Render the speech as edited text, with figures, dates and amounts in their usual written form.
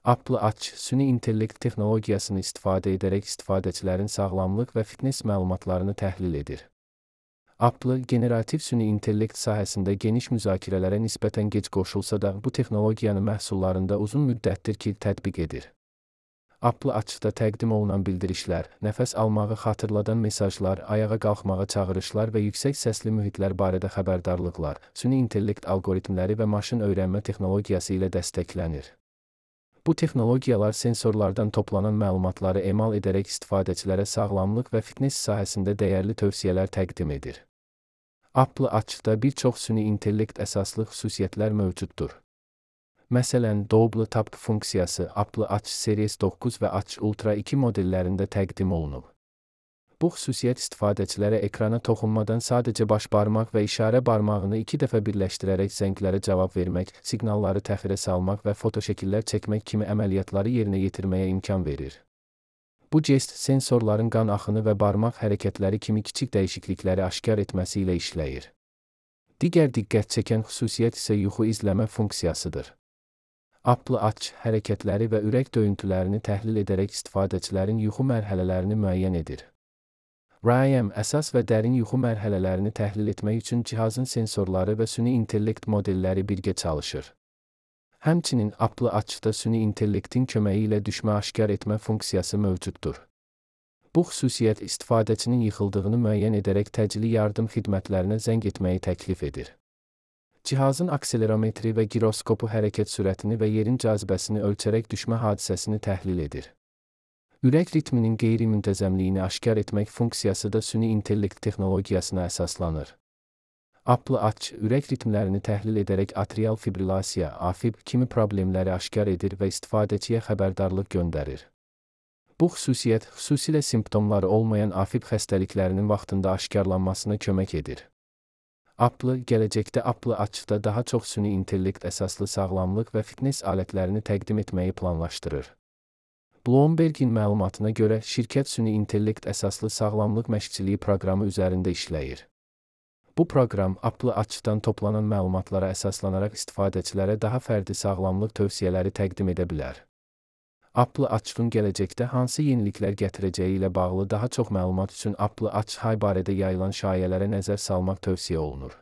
Apple Watch, süni intellekt texnologiyasını istifadə edərək istifadəçilərin sağlamlıq və fitness məlumatlarını təhlil edir. Apple, generativ süni intellekt sahəsində geniş müzakirələrə nisbətən gec qoşulsa da, bu texnologiyanı məhsullarında uzun müddətdir ki, tətbiq edir. Apple Watch-da təqdim olunan bildirişlər, nəfəs almağı xatırladan mesajlar, ayağa qalxmağa çağırışlar və yüksək səsli mühitlər barədə xəbərdarlıqlar, süni intellekt alqoritmləri və maşın öyrənmə texnologiyası ilə dəstəklənir. Bu texnologiyalar sensorlardan toplanan məlumatları emal edərək istifadəçilərə sağlamlıq və fitness sahəsində dəyərli tövsiyələr təqdim edir. Apple Watch-da bir çox süni intellekt əsaslı xüsusiyyətlər mövcuddur. Məsələn, Double Tap funksiyası Apple Watch Series 9 və Watch Ultra 2 modellərində təqdim olunub. Bu xüsusiyyət istifadəçilərə ekrana toxunmadan sadəcə baş barmaq və işarə barmağını 2 dəfə birləşdirərək zənglərə cavab vermək, siqnalları təxirə salmaq və fotoşəkillər çəkmək kimi əməliyyatları yerinə yetirməyə imkan verir. Bu jest sensorların qan axını və barmaq hərəkətləri kimi kiçik dəyişiklikləri aşkar etməsi ilə işləyir. Digər diqqət çəkən xüsusiyyət isə yuxu izləmə funksiyasıdır. Apple Watch hərəkətləri və ürək döyüntülərini təhlil edərək istifadəçilərin yuxu mərhələlərini müəyyən edir. REM əsas və dərin yuxu mərhələlərini təhlil etmək üçün cihazın sensorları və süni intellekt modelləri birgə çalışır. Həmçinin Apple Watch-da süni intellektin köməyi ilə düşmə aşkar etmə funksiyası mövcuddur. Bu xüsusiyyət istifadəçinin yıxıldığını müəyyən edərək təcili yardım xidmətlərinə zəng etməyi təklif edir. Cihazın akselerometri və giroskopu hərəkət sürətini və yerin cazibəsini ölçərək düşmə hadisəsini təhlil edir. Ürək ritminin qeyri-müntəzəmliyini aşkar etmək funksiyası da süni intellekt texnologiyasına əsaslanır. Apple Watch, ürək ritmlərini təhlil edərək atrial fibrilasiya, AFib kimi problemləri aşkar edir və istifadəçiyə xəbərdarlıq göndərir. Bu xüsusiyyət, xüsusilə simptomları olmayan AFib xəstəliklərinin vaxtında aşkarlanmasına kömək edir. Apple, gələcəkdə Apple Watch-da daha çox süni intellekt əsaslı sağlamlıq və fitness alətlərini təqdim etməyi planlaşdırır. Bloomberg'in məlumatına görə, şirkət süni intellekt əsaslı sağlamlıq məşqçiliyi proqramı üzərində işləyir. Bu proqram, Apple Watch-dan toplanan məlumatlara əsaslanaraq istifadəçilərə daha fərdi sağlamlıq tövsiyələri təqdim edə bilər. Apple Watch-un gələcəkdə hansı yeniliklər gətirəcəyi ilə bağlı daha çox məlumat üçün Apple Watch High barədə yayılan şayələrə nəzər salmaq tövsiyə olunur.